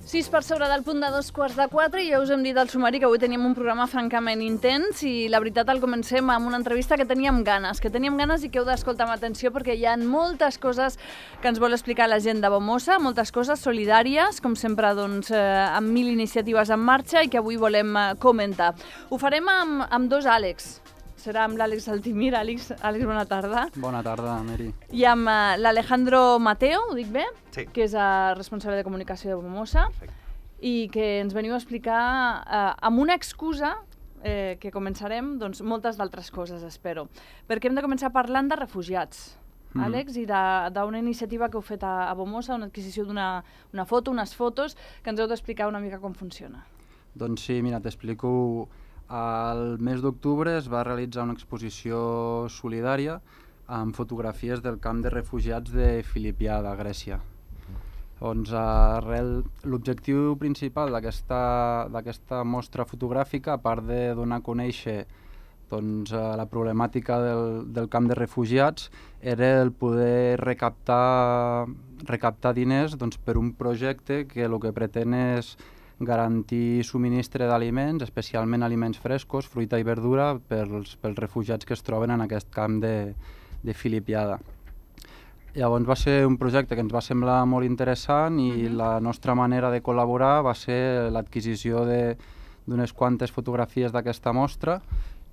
6 per sobre del punt de 3:45 i ja us hem dit al sumari que avui teníem un programa francament intens i la veritat el comencem amb una entrevista que teníem ganes i que heu d'escoltar amb atenció perquè hi ha moltes coses que ens vol explicar la gent de Bomosa, moltes coses solidàries, com sempre doncs, amb 1000 iniciatives en marxa i que avui volem comentar. Ho farem amb dos Àlex. Serà amb l'Àlex Altimir. Àlex, bona tarda. Bona tarda, Meri. I amb l'Alejandro Mateo, ho dic bé? Sí. Que és responsable de comunicació de Bomosa. Perfecte. I que ens veniu a explicar amb una excusa que començarem doncs, moltes d'altres coses, espero. Perquè hem de començar parlant de refugiats, Àlex, i d'una iniciativa que heu fet a Bomosa, una adquisició d'una foto, unes fotos, que ens heu d'explicar una mica com funciona. Doncs sí, mira, t'explico. Al mes d'octubre es va realitzar una exposició solidària amb fotografies del camp de refugiats de Filipià, de Grècia. Doncs l'objectiu principal d'aquesta mostra fotogràfica, a part de donar a conèixer doncs, la problemàtica del camp de refugiats, era el poder recaptar diners doncs, per un projecte que el que pretén és garantir subministre d'aliments, especialment aliments frescos, fruita i verdura, pels refugiats que es troben en aquest camp de Filipiada. Llavors va ser un projecte que ens va semblar molt interessant i la nostra manera de col·laborar va ser l'adquisició d'unes quantes fotografies d'aquesta mostra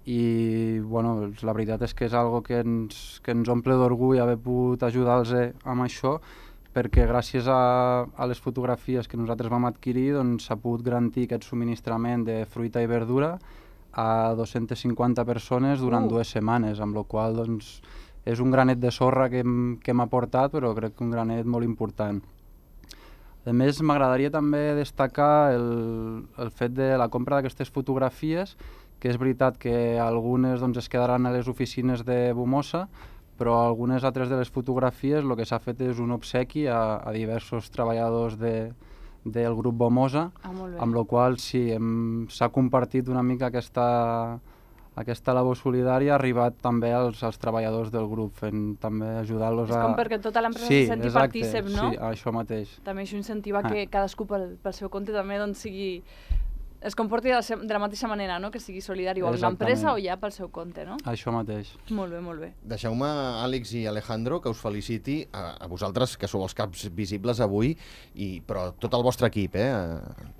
i bueno, la veritat és que és algo que ens omple d'orgull haver pogut ajudar-los amb això, perquè gràcies a les fotografies que nosaltres vam adquirir s'ha pogut garantir aquest subministrament de fruita i verdura a 250 persones durant 2 setmanes, amb la qual cosa és un granet de sorra que hem aportat, però crec que un granet molt important. A més, m'agradaria també destacar el fet de la compra d'aquestes fotografies, que és veritat que algunes es quedaran a les oficines de Bomosa, però algunes altres de les fotografies el que s'ha fet és un obsequi a diversos treballadors del grup Bomosa, amb la qual sí, s'ha compartit una mica aquesta labor solidària, ha arribat també als treballadors del grup, fent també ajudar-los a... És com perquè tota l'empresa se senti partícip, no? Sí, això mateix. També això incentiva que cadascú pel seu compte també es comporti de la mateixa manera, no? Que sigui solidari o amb l'empresa o ja pel seu compte, no? Això mateix. Molt bé, molt bé. Deixeu-me, Àlex i Alejandro, que us feliciti a vosaltres, que sou els caps visibles avui, però tot el vostre equip,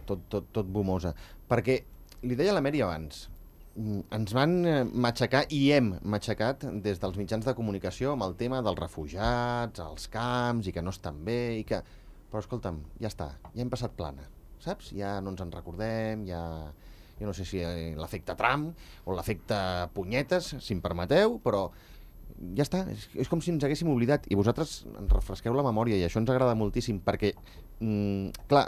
tot Bomosa. Perquè, li deia la Meri abans, ens van matxacar i hem matxacat des dels mitjans de comunicació amb el tema dels refugiats, els camps, i que no estan bé, però escolta'm, ja està, ja hem passat plana. Saps? Ja no ens en recordem, jo no sé si l'efecte Trump o l'efecte punyetes, si em permeteu, però ja està, és com si ens haguéssim oblidat i vosaltres ens refresqueu la memòria i això ens agrada moltíssim perquè, clar,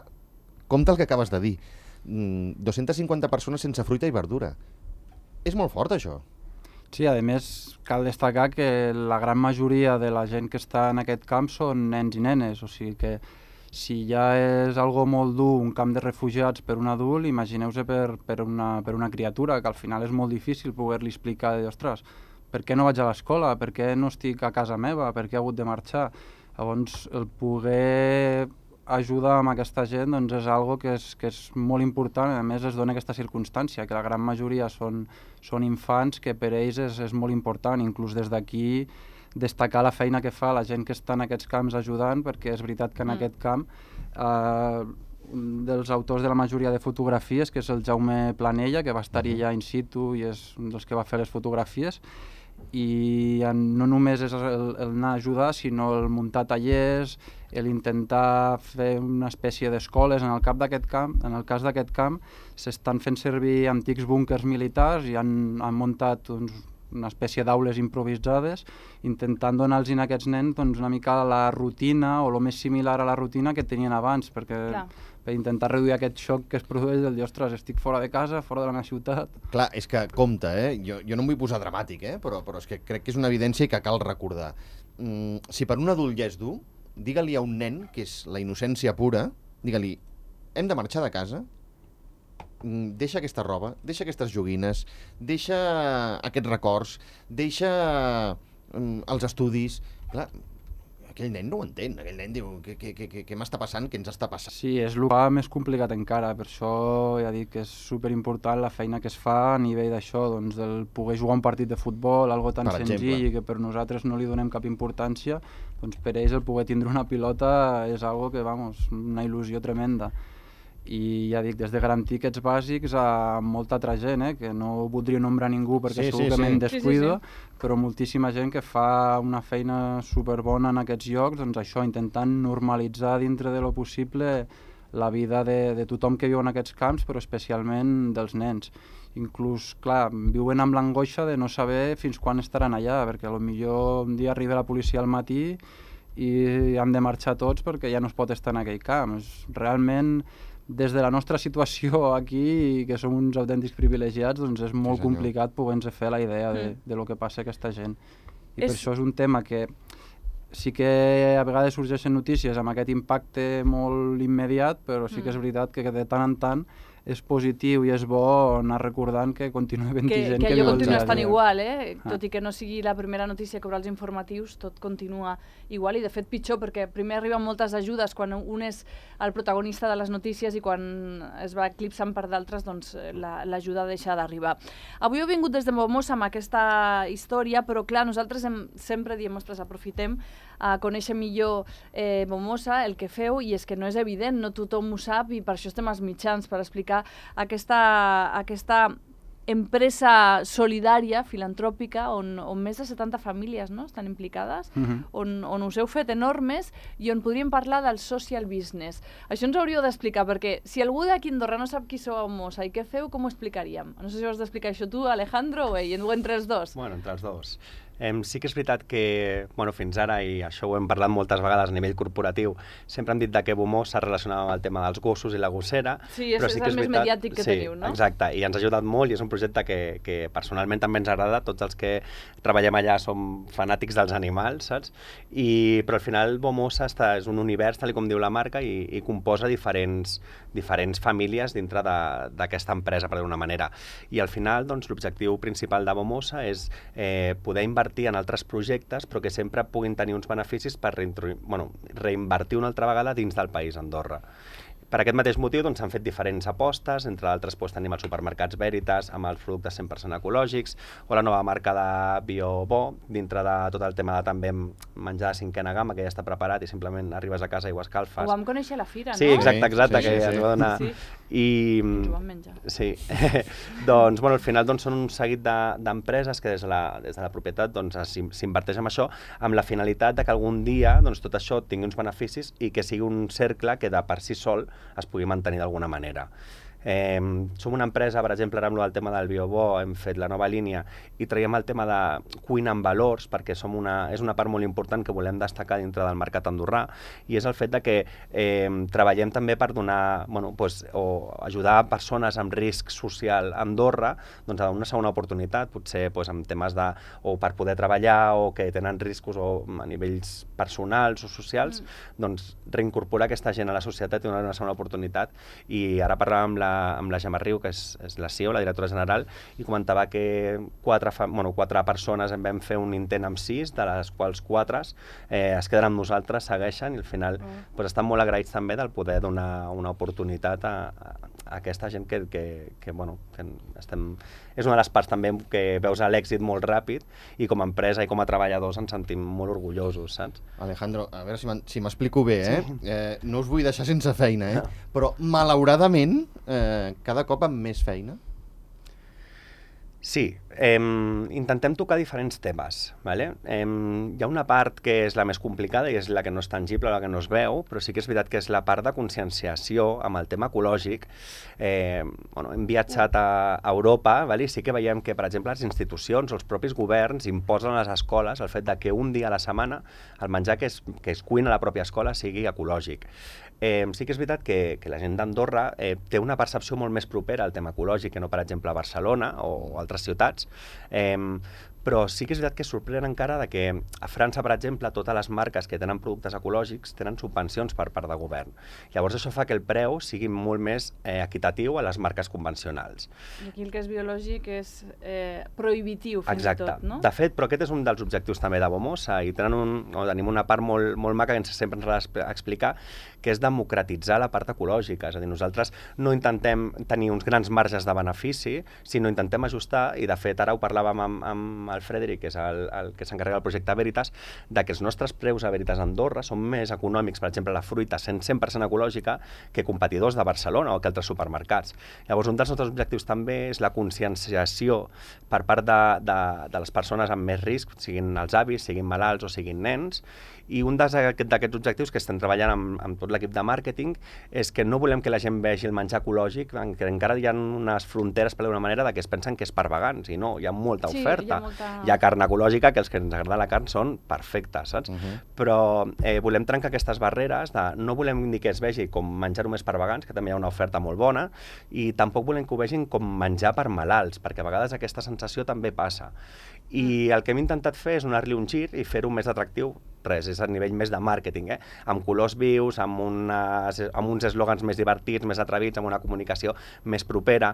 compte el que acabes de dir, 250 persones sense fruita i verdura. És molt fort, això. Sí, a més, cal destacar que la gran majoria de la gent que està en aquest camp són nens i nenes, o sigui que si ja és algo molt dur un camp de refugiats per un adult, imagineu-se per una criatura, que al final és molt difícil poder-li explicar, ostres, per què no vaig a l'escola, per què no estic a casa meva, per què he hagut de marxar. Llavors, el poder ajudar amb aquesta gent és algo que és molt important, a més es dona aquesta circumstància, que la gran majoria són infants, que per ells és molt important, inclús des d'aquí destacar la feina que fa la gent que està en aquests camps ajudant, perquè és veritat que en aquest camp un dels autors de la majoria de fotografies, que és el Jaume Planella, que va estar-hi ja in situ i és un dels que va fer les fotografies, i no només és el anar a ajudar, sinó el muntar tallers, l'intentar fer una espècie d'escoles. En el cas d'aquest camp s'estan fent servir antics búnquers militars i han muntat una espècie d'aules improvisades, intentant donar-los a aquests nens una mica la rutina o el més similar a la rutina que tenien abans, per intentar reduir aquest xoc que es produeix del dir, ostres, estic fora de casa, fora de la meva ciutat. Clar, és que compte, jo no em vull posar dramàtic, però és que crec que és una evidència i que cal recordar. Si per un adult ja és dur, digue-li a un nen, que és la innocència pura, digue-li, hem de marxar de casa, deixa aquesta roba, deixa aquestes joguines, deixa aquests records, deixa els estudis. Clar, aquell nen no ho entén, aquell nen diu què m'està passant, què ens està passant? Sí, és el que més complicat encara, per això ja dic que és superimportant la feina que es fa a nivell d'això, doncs del poder jugar un partit de futbol, algo tan senzill i que per nosaltres no li donem cap importància, doncs per ells el poder tindre una pilota és algo que, vamos, una il·lusió tremenda. I ja dic, des de garantir aquests bàsics a molta altra gent, que no voldria nombrar ningú perquè segur que me'n descuido, però moltíssima gent que fa una feina superbona en aquests llocs, doncs això, intentant normalitzar dintre de lo possible la vida de tothom que viu en aquests camps, però especialment dels nens. Inclús, clar, viuen amb l'angoixa de no saber fins quan estaran allà, perquè potser un dia arriba la policia al matí i han de marxar tots perquè ja no es pot estar en aquell camp. Realment, des de la nostra situació aquí, que som uns autèntics privilegiats, doncs és molt complicat poder-nos fer la idea de lo que passa a aquesta gent. I per això és un tema que sí que a vegades sorgeixen notícies amb aquest impacte molt immediat, però sí que és veritat que de tant en tant és positiu i és bo anar recordant que continua havent gent que allò viu continua estant igual, tot i que no sigui la primera notícia que obre els informatius, tot continua igual i de fet pitjor, perquè primer arriben moltes ajudes quan un és el protagonista de les notícies i quan es va eclipsant per d'altres, doncs l'ajuda deixa d'arribar. Avui heu vingut des de Bomossa amb aquesta història, però clar, nosaltres sempre diem, ostres, aprofitem a conèixer millor Bomossa, el que feu, i és que no és evident, no tothom ho sap i per això estem als mitjans, per explicar aquesta empresa solidària, filantròpica, on més de 70 famílies estan implicades, on us heu fet enormes i on podríem parlar del social business. Això ens hauríeu d'explicar, perquè si algú d'aquí a Andorra no sap qui sou a Bomossa i què feu, com ho explicaríem? No sé si ho has d'explicar això tu, Alejandro, o entre els dos. Bueno, entre els dos. Sí que és veritat que fins ara, i això ho hem parlat moltes vegades a nivell corporatiu, sempre hem dit que Bomossa es relacionava amb el tema dels gossos i la gossera. Sí, és el més mediàtic que teniu, no? Exacte, i ens ha ajudat molt i és un projecte que personalment també ens agrada. Tots els que treballem allà som fanàtics dels animals, saps? Però al final Bomossa és un univers, tal com diu la marca, i composa diferents famílies dintre d'aquesta empresa, per dir-ho d'una manera. I al final l'objectiu principal de Bomossa és poder invertir en altres projectes, però que sempre puguin tenir uns beneficis per reinvertir una altra vegada dins del país, Andorra. Per aquest mateix motiu s'han fet diferents apostes, entre d'altres tenim els supermercats Veritas amb els productes 100% ecològics, o la nova marca de BioBo, dintre de tot el tema de també menjar de cinquena gamma, que ja està preparat i simplement arribes a casa i ho escalfes. Ho vam conèixer a la fira, no? Sí, exacte, que ens va donar. Ens ho vam menjar. Sí, doncs al final són un seguit d'empreses que des de la propietat s'inverteix en això amb la finalitat de que algun dia tot això tingui uns beneficis i que sigui un cercle que de per si sol es pugui mantenir d'alguna manera. Som una empresa, per exemple, ara amb el tema del BioBo hem fet la nova línia i traiem el tema de cuina amb valors, perquè és una part molt important que volem destacar dintre del mercat andorrà, i és el fet de que treballem també per donar, o ajudar persones amb risc social a Andorra a donar una segona oportunitat, potser amb temes o per poder treballar o que tenen riscos o a nivells personals o socials, reincorporar aquesta gent a la societat i donar una segona oportunitat. I ara parlàvem amb la Gemma Riu, que és la CEO, la directora general, i comentava que 4 persones en vam fer un intent amb 6, de les quals 4 es queden amb nosaltres, segueixen, i al final estan molt agraïts també del poder donar una oportunitat a aquesta gent que estem... És una de les parts també que veus l'èxit molt ràpid i com a empresa i com a treballadors ens sentim molt orgullosos, saps? Alejandro, a veure si m'explico bé, no us vull deixar sense feina, però malauradament cada cop amb més feina? Sí, intentem tocar diferents temes. Hi ha una part que és la més complicada i és la que no és tangible, la que no es veu, però sí que és veritat que és la part de conscienciació amb el tema ecològic. Hem viatjat a Europa i sí que veiem que, per exemple, les institucions o els propis governs imposen a les escoles el fet que un dia a la setmana el menjar que es cuina a la pròpia escola sigui ecològic. Sí que és veritat que la gent d'Andorra té una percepció molt més propera al tema ecològic que no, per exemple, a Barcelona o altres ciutats, però sí que és veritat que sorprèn encara de que a França, per exemple, totes les marques que tenen productes ecològics tenen subvencions per part del govern. Llavors això fa que el preu sigui molt més equitatiu a les marques convencionals. I aquí el que és biològic és prohibitiu, fins i tot, no? De fet, però aquest és un dels objectius també de Bomosa, i tenim una part molt maca que sempre ens ha d'explicar, que és democratitzar la part ecològica. És a dir, nosaltres no intentem tenir uns grans marges de benefici, sinó intentem ajustar, i de fet ara ho parlàvem amb el Frederic, que és el que s'encarrega del projecte Veritas, de que els nostres preus a Veritas Andorra són més econòmics, per exemple, la fruita 100% ecològica, que competidors de Barcelona o que altres supermercats. Llavors, un dels nostres objectius també és la conscienciació per part de les persones amb més risc, siguin els avis, siguin malalts o siguin nens, i un d'aquests objectius que estem treballant amb tot l'equip de màrqueting és que no volem que la gent vegi el menjar ecològic, que encara hi ha unes fronteres, per d'una manera, que es pensen que és per vegans, i no, hi ha molta oferta. Hi ha carn ecològica, que els que ens agrada la carn són perfectes, saps? Però volem trencar aquestes barreres, no volem dir que es vegi com menjar només per vegans, que també hi ha una oferta molt bona, i tampoc volem que ho vegin com menjar per malalts, perquè a vegades aquesta sensació també passa. I el que hem intentat fer és donar-li un gir i fer-ho més atractiu. Res, és a nivell més de màrqueting, amb colors vius, amb uns eslògans més divertits, més atrevits, amb una comunicació més propera,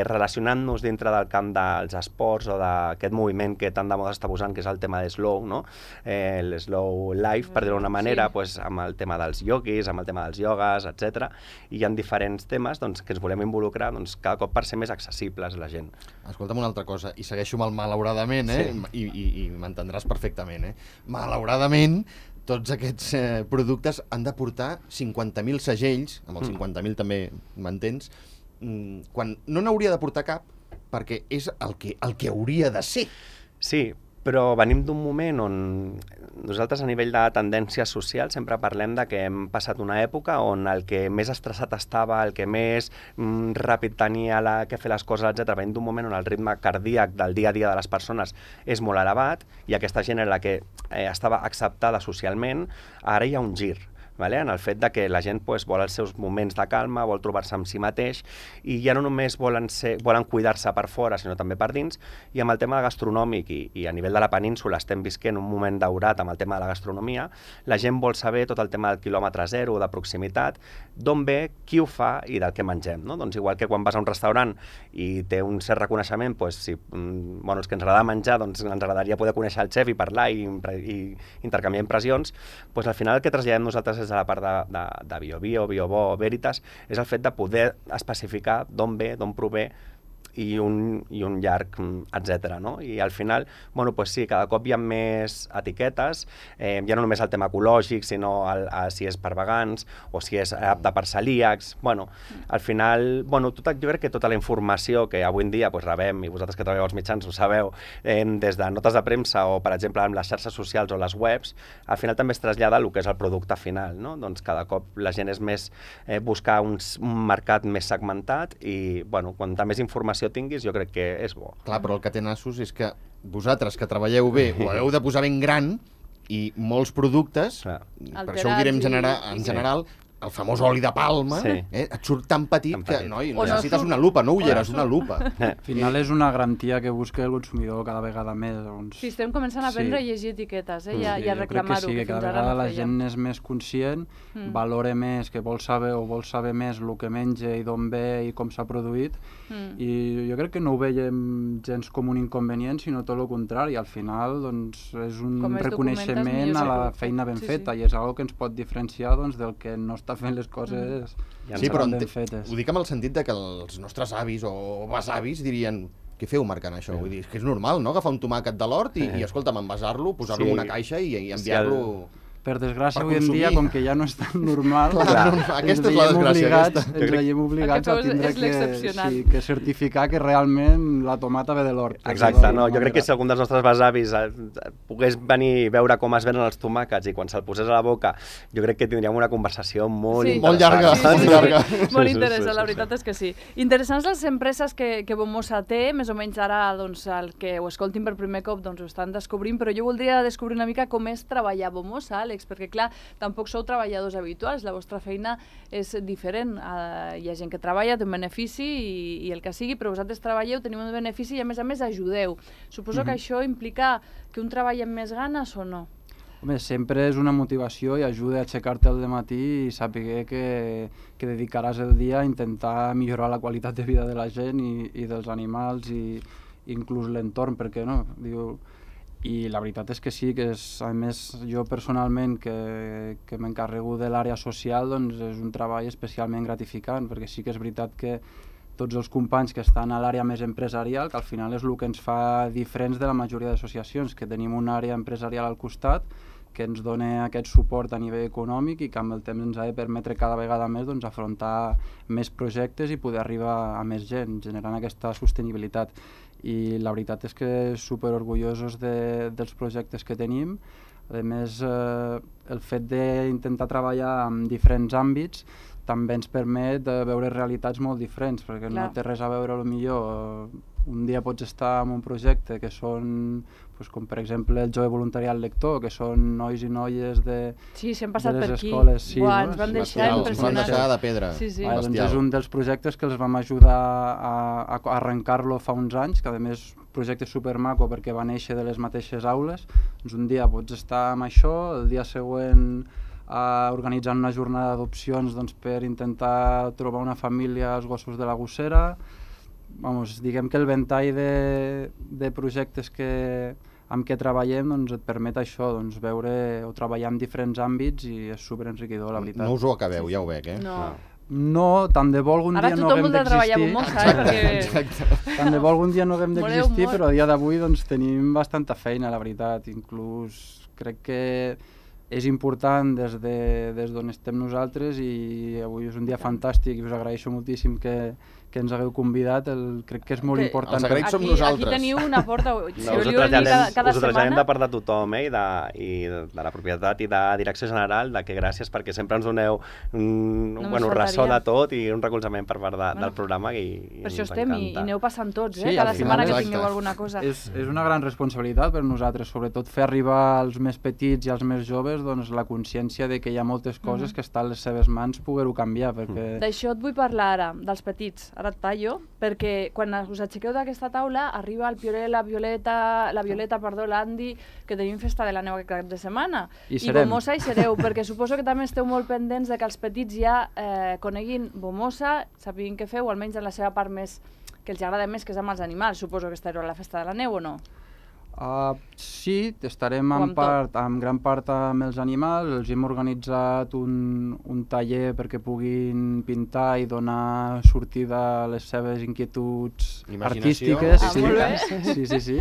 relacionant-nos dintre del camp dels esports o d'aquest moviment que tant de moda està posant, que és el tema de slow, no? El slow life, per dir-ho d'una manera, amb el tema dels ioguis, amb el tema dels iogues, etc. I hi ha diferents temes que ens volem involucrar cada cop per ser més accessibles a la gent. Escolta'm una altra cosa, i segueixo amb el malauradament, i m'entendràs perfectament, malauradament, tots aquests productes han de portar 50.000 segells, amb els 50.000 també m'entens, quan no n'hauria de portar cap, perquè és el que hauria de ser. Sí, però venim d'un moment on nosaltres a nivell de tendències socials sempre parlem de que hem passat una època on el que més estressat estava, el que més ràpid tenia que fer les coses, etc. Venim d'un moment on el ritme cardíac del dia a dia de les persones és molt elevat i aquesta gent era la que estava acceptada socialment, ara hi ha un gir. En el fet de que la gent vol els seus moments de calma, vol trobar-se amb si mateix i ja no només volen cuidar-se per fora, sinó també per dins. I amb el tema gastronòmic i a nivell de la península estem visquent un moment daurat amb el tema de la gastronomia, la gent vol saber tot el tema del quilòmetre zero, de proximitat, d'on ve, qui ho fa i del que mengem. Doncs igual que quan vas a un restaurant i té un cert reconeixement, si els que ens agrada menjar, ens agradaria poder conèixer el xef i parlar i intercanviar impressions, al final el que traslladem nosaltres des de la part de BioBio, BioBo, Veritas, és el fet de poder especificar d'on ve, d'on prové i un llarg, etc. I al final, sí, cada cop hi ha més etiquetes, ja no només el tema ecològic, sinó si és per vegans o si és apte per celíacs. Al final, jo crec que tota la informació que avui en dia rebem, i vosaltres que treballeu als mitjans ho sabeu, des de notes de premsa o, per exemple, amb les xarxes socials o les webs, al final també es trasllada el que és el producte final. Doncs cada cop la gent és més buscar un mercat més segmentat i, quanta més informació tinguis, jo crec que és bo. Clar, però el que té nassos és que vosaltres que treballeu bé ho heu de posar ben gran i molts productes, per això ho direm en general, el famós oli de palma, et surt tan petit que necessites una lupa, no ulleres, una lupa. Al final és una garantia que busca el consumidor cada vegada més. Sí, estem començant a aprendre a llegir etiquetes i a reclamar-ho. Jo crec que sí, que cada vegada la gent és més conscient, valora més, que vol saber més el que menja i d'on ve i com s'ha produït, i jo crec que no ho veiem gens com un inconvenient, sinó tot el contrari. Al final és un reconeixement a la feina ben feta i és una que ens pot diferenciar del que no està fent les coses ben fetes. Ho dic amb el sentit de que els nostres avis o besavis dirien: què feu marcant això? Vull dir, és que és normal, no? Agafar un tomàquet de l'hort i escolta'm, envasar-lo, posar-lo en una caixa i enviar-lo... Per desgràcia, avui en dia, com que ja no és tan normal, aquesta és la desgràcia. Ens veiem obligats a tindre que certificar que realment la tomata ve de l'hort. Exacte, jo crec que si algun dels nostres besavis pogués venir i veure com es venen els tomàquets i quan se'l posés a la boca, jo crec que tindríem una conversació molt llarga. Molt interessant, la veritat és que sí. Interessants les empreses que Bomosa té, més o menys ara el que ho escoltin per primer cop ho estan descobrint, però jo voldria descobrir una mica com és treballar a Bomosa, Àlex? Perquè, clar, tampoc sou treballadors habituals, la vostra feina és diferent. Hi ha gent que treballa, té un benefici i el que sigui, però vosaltres treballeu, teniu un benefici i, a més, ajudeu. Suposo que això implica que un treballa amb més ganes o no? Home, sempre és una motivació i ajuda a aixecar-te al matí i saber que dedicaràs el dia a intentar millorar la qualitat de vida de la gent i dels animals i inclús l'entorn, perquè no? I la veritat és que sí, que a més jo personalment que m'encarrego de l'àrea social, doncs és un treball especialment gratificant, perquè sí que és veritat que tots els companys que estan a l'àrea més empresarial, que al final és el que ens fa diferents de la majoria d'associacions, que tenim una àrea empresarial al costat, que ens dona aquest suport a nivell econòmic i que amb el temps ens ha de permetre cada vegada més doncs, afrontar més projectes i poder arribar a més gent, generant aquesta sostenibilitat. I la veritat és que superorgullosos dels projectes que tenim. A més, el fet d'intentar treballar en diferents àmbits també ens permet veure realitats molt diferents, perquè no té res a veure, potser un dia pots estar en un projecte que són, com per exemple el jove voluntariat lector, que són nois i noies de les escoles. Sí, ens van deixar impressionats. Ens van deixar de pedra. Doncs és un dels projectes que els vam ajudar a arrencar-lo fa uns anys, que a més projecte supermaco perquè va néixer de les mateixes aules. Doncs un dia pots estar amb això, el dia següent organitzant una jornada d'adopcions per intentar trobar una família als gossos de la gossera. Diguem que el ventall de projectes amb què treballem et permet això, veure o treballar en diferents àmbits i és superenriquidor, la veritat. No us ho acabeu, ja ho veig, No, tant de bo algun dia no haguem d'existir. Tant de bo algun dia no haguem d'existir, però a dia d'avui tenim bastanta feina, la veritat. Inclús crec que és important des d'on estem nosaltres i avui és un dia fantàstic i us agraeixo moltíssim que ens hagueu convidat, crec que és molt important. Els agraïts som nosaltres. Aquí teniu una porta, us ho traslladem de part de tothom i de la propietat i de direcció general, que gràcies perquè sempre ens doneu un ressò de tot i un recolzament per part del programa i per això estem i aneu passant tots, cada setmana que tingueu alguna cosa. És una gran responsabilitat per nosaltres, sobretot fer arribar als més petits i als més joves la consciència de que hi ha moltes coses que estan a les seves mans poder-ho canviar. D'això et vull parlar ara, dels petits. Ara et tallo, perquè quan us aixequeu d'aquesta taula arriba el Pioré, la Violeta, l'Andy, que tenim festa de la neu aquest cap de setmana. I Bomosa hi sereu, perquè suposo que també esteu molt pendents de que els petits ja coneguin Bomosa, sapiguin què feu, almenys en la seva part més que els agrada més, que és amb els animals. Suposo que estareu a la festa de la neu o no? Sí, estarem en gran part amb els animals. Els hem organitzat un taller perquè puguin pintar i donar sortida a les seves inquietuds artístiques. Sí.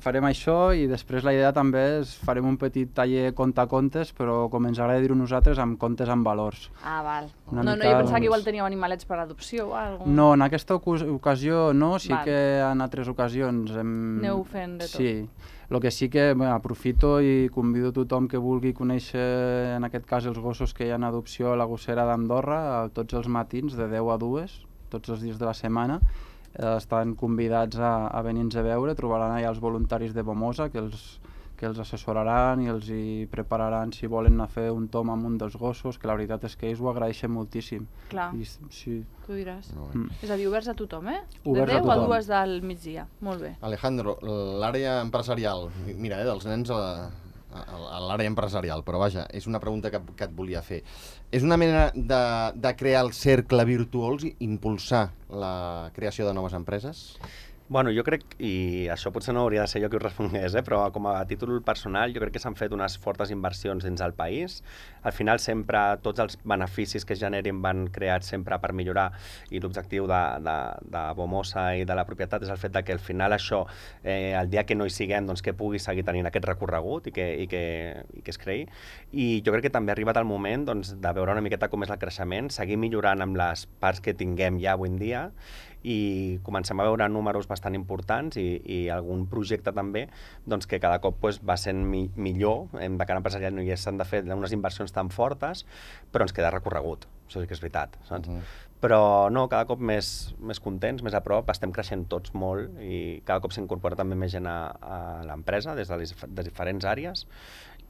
Farem això i després la idea també és farem un petit taller contacontes, però com ens agrada dir-ho nosaltres, amb contes amb valors. Val. Jo pensava que igual teníeu animalets per adopció o alguna cosa. No, en aquesta ocasió no, sí que en altres ocasions aneu fent de tot. Sí, el que sí que aprofito i convido tothom que vulgui conèixer, en aquest cas els gossos que hi ha en adopció a la gossera d'Andorra, tots els matins de 10 a 2, tots els dies de la setmana. Estan convidats a venir-nos a veure, trobaran allà els voluntaris de Bomosa que els assessoraran i els hi prepararan si volen anar a fer un tom amb un dels gossos, que la veritat és que ells ho agraeixen moltíssim. Clar, sí. tu diràs. És a dir, oberts a tothom, Oberts de 10 a 2 del migdia, molt bé. Alejandro, l'àrea empresarial, mira, dels nens a l'àrea empresarial, però vaja, és una pregunta que et volia fer. És una mena de crear el cercle virtuós i impulsar la creació de noves empreses? Bueno, jo crec, i això potser no hauria de ser jo qui ho respongués, però com a títol personal jo crec que s'han fet unes fortes inversions dins del país. Al final sempre tots els beneficis que es generin van creats sempre per millorar i l'objectiu de Bomosa i de la propietat és el fet que al final això, el dia que no hi siguem, doncs que pugui seguir tenint aquest recorregut i que es creï. I jo crec que també ha arribat el moment de veure una miqueta com és el creixement, seguir millorant amb les parts que tinguem ja avui en dia i comencem a veure números bastant importants i algun projecte també que cada cop va sent millor. De cara empresarial no hi s'han de fer unes inversions tan fortes, però ens queda recorregut, això sí que és veritat, saps? Però no, cada cop més contents, més a prop, estem creixent tots molt i cada cop s'incorpora també més gent a l'empresa des de les diferents àrees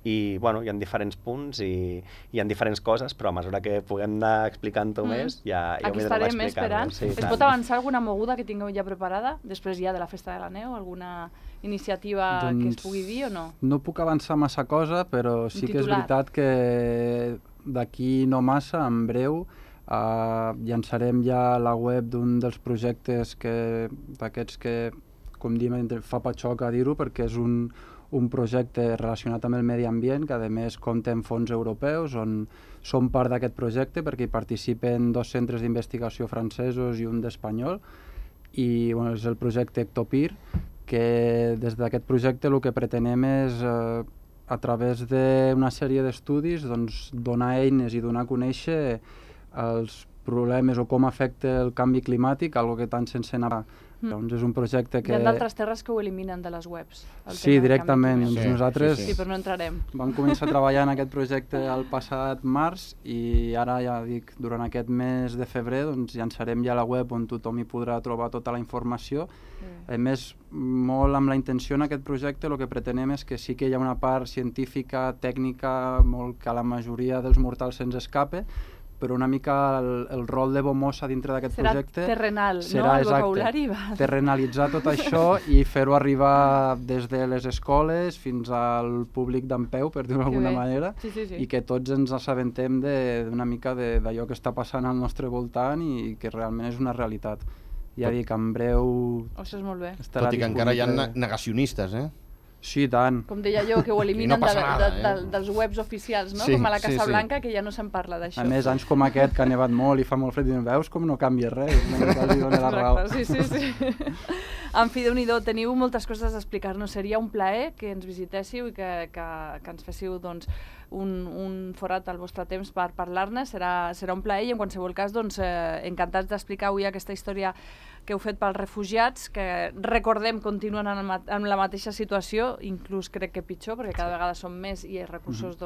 i bueno, hi ha diferents punts i hi ha diferents coses, però a mesura que puguem anar explicant-ho més, ja ho Aquí anirem estarem explicant. esperant. Es pot avançar alguna moguda que tingueu ja preparada, després ja de la Festa de la Neu? Alguna iniciativa que es pugui dir o no? No puc avançar massa cosa, però sí que és veritat que d'aquí no massa, en breu, llançarem ja la web d'un dels projectes d'aquests que, com diem, fa patxoc a dir-ho, perquè és un projecte relacionat amb el medi ambient, que a més compta amb fons europeus, on som part d'aquest projecte perquè hi participen 2 centres d'investigació francesos i un d'espanyol, i bueno, és el projecte Ectopir, que des d'aquest projecte el que pretenem és, a través d'una sèrie d'estudis, doncs, donar eines i donar a conèixer els problemes o com afecta el canvi climàtic, algo que tant sense anar. Doncs és un projecte que... Hi ha d'altres terres que ho eliminen de les webs. Sí, directament. Doncs nosaltres sí, però no entrarem. Vam començar a treballar en aquest projecte el passat març i ara, ja dic, durant aquest mes de febrer doncs, llançarem ja la web on tothom hi podrà trobar tota la informació. A més, molt amb la intenció en aquest projecte el que pretenem és que sí que hi ha una part científica, tècnica, molt que a la majoria dels mortals se'ns escape, però una mica el rol de Bomosa dintre d'aquest projecte... Serà terrenal, no? El vocabulari va... terrenalitzar tot això i fer-ho arribar des de les escoles fins al públic d'en peu, per dir-ho d'alguna manera, i que tots ens assabentem d'una mica d'allò que està passant al nostre voltant i que realment és una realitat. Ja dic, en breu... Això és molt bé. Tot i que encara hi ha negacionistes, eh? Sí, tant. Com deia jo, que ho eliminen dels webs oficials, no? Com a la Casa Blanca, que ja no se'n parla d'això. A més, anys com aquest, que ha nevat molt i fa molt fred, i veus com no canvia res, quasi dona la raó. Sí. En fi, Déu-n'hi-do, teniu moltes coses a explicar-nos. Seria un plaer que ens visitéssiu i que ens féssiu doncs, un forat al vostre temps per parlar-ne. Serà un plaer i en qualsevol cas encantats d'explicar avui aquesta història que heu fet pels refugiats, que recordem continuen en la mateixa situació, inclús crec que pitjor, perquè cada vegada són més i els recursos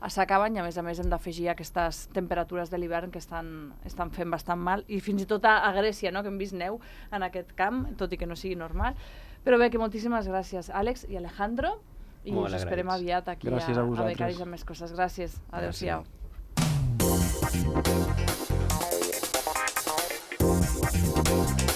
s'acaben i a més hem d'afegir aquestes temperatures de l'hivern que estan fent bastant mal, i fins i tot a Grècia, no? Que hem vist neu en aquest camp, tot i que no sigui normal. Però bé, que moltíssimes gràcies, Àlex i Alejandro, i us esperem aviat aquí a Becaris amb més coses. Gràcies, adeu-siau. Gràcies.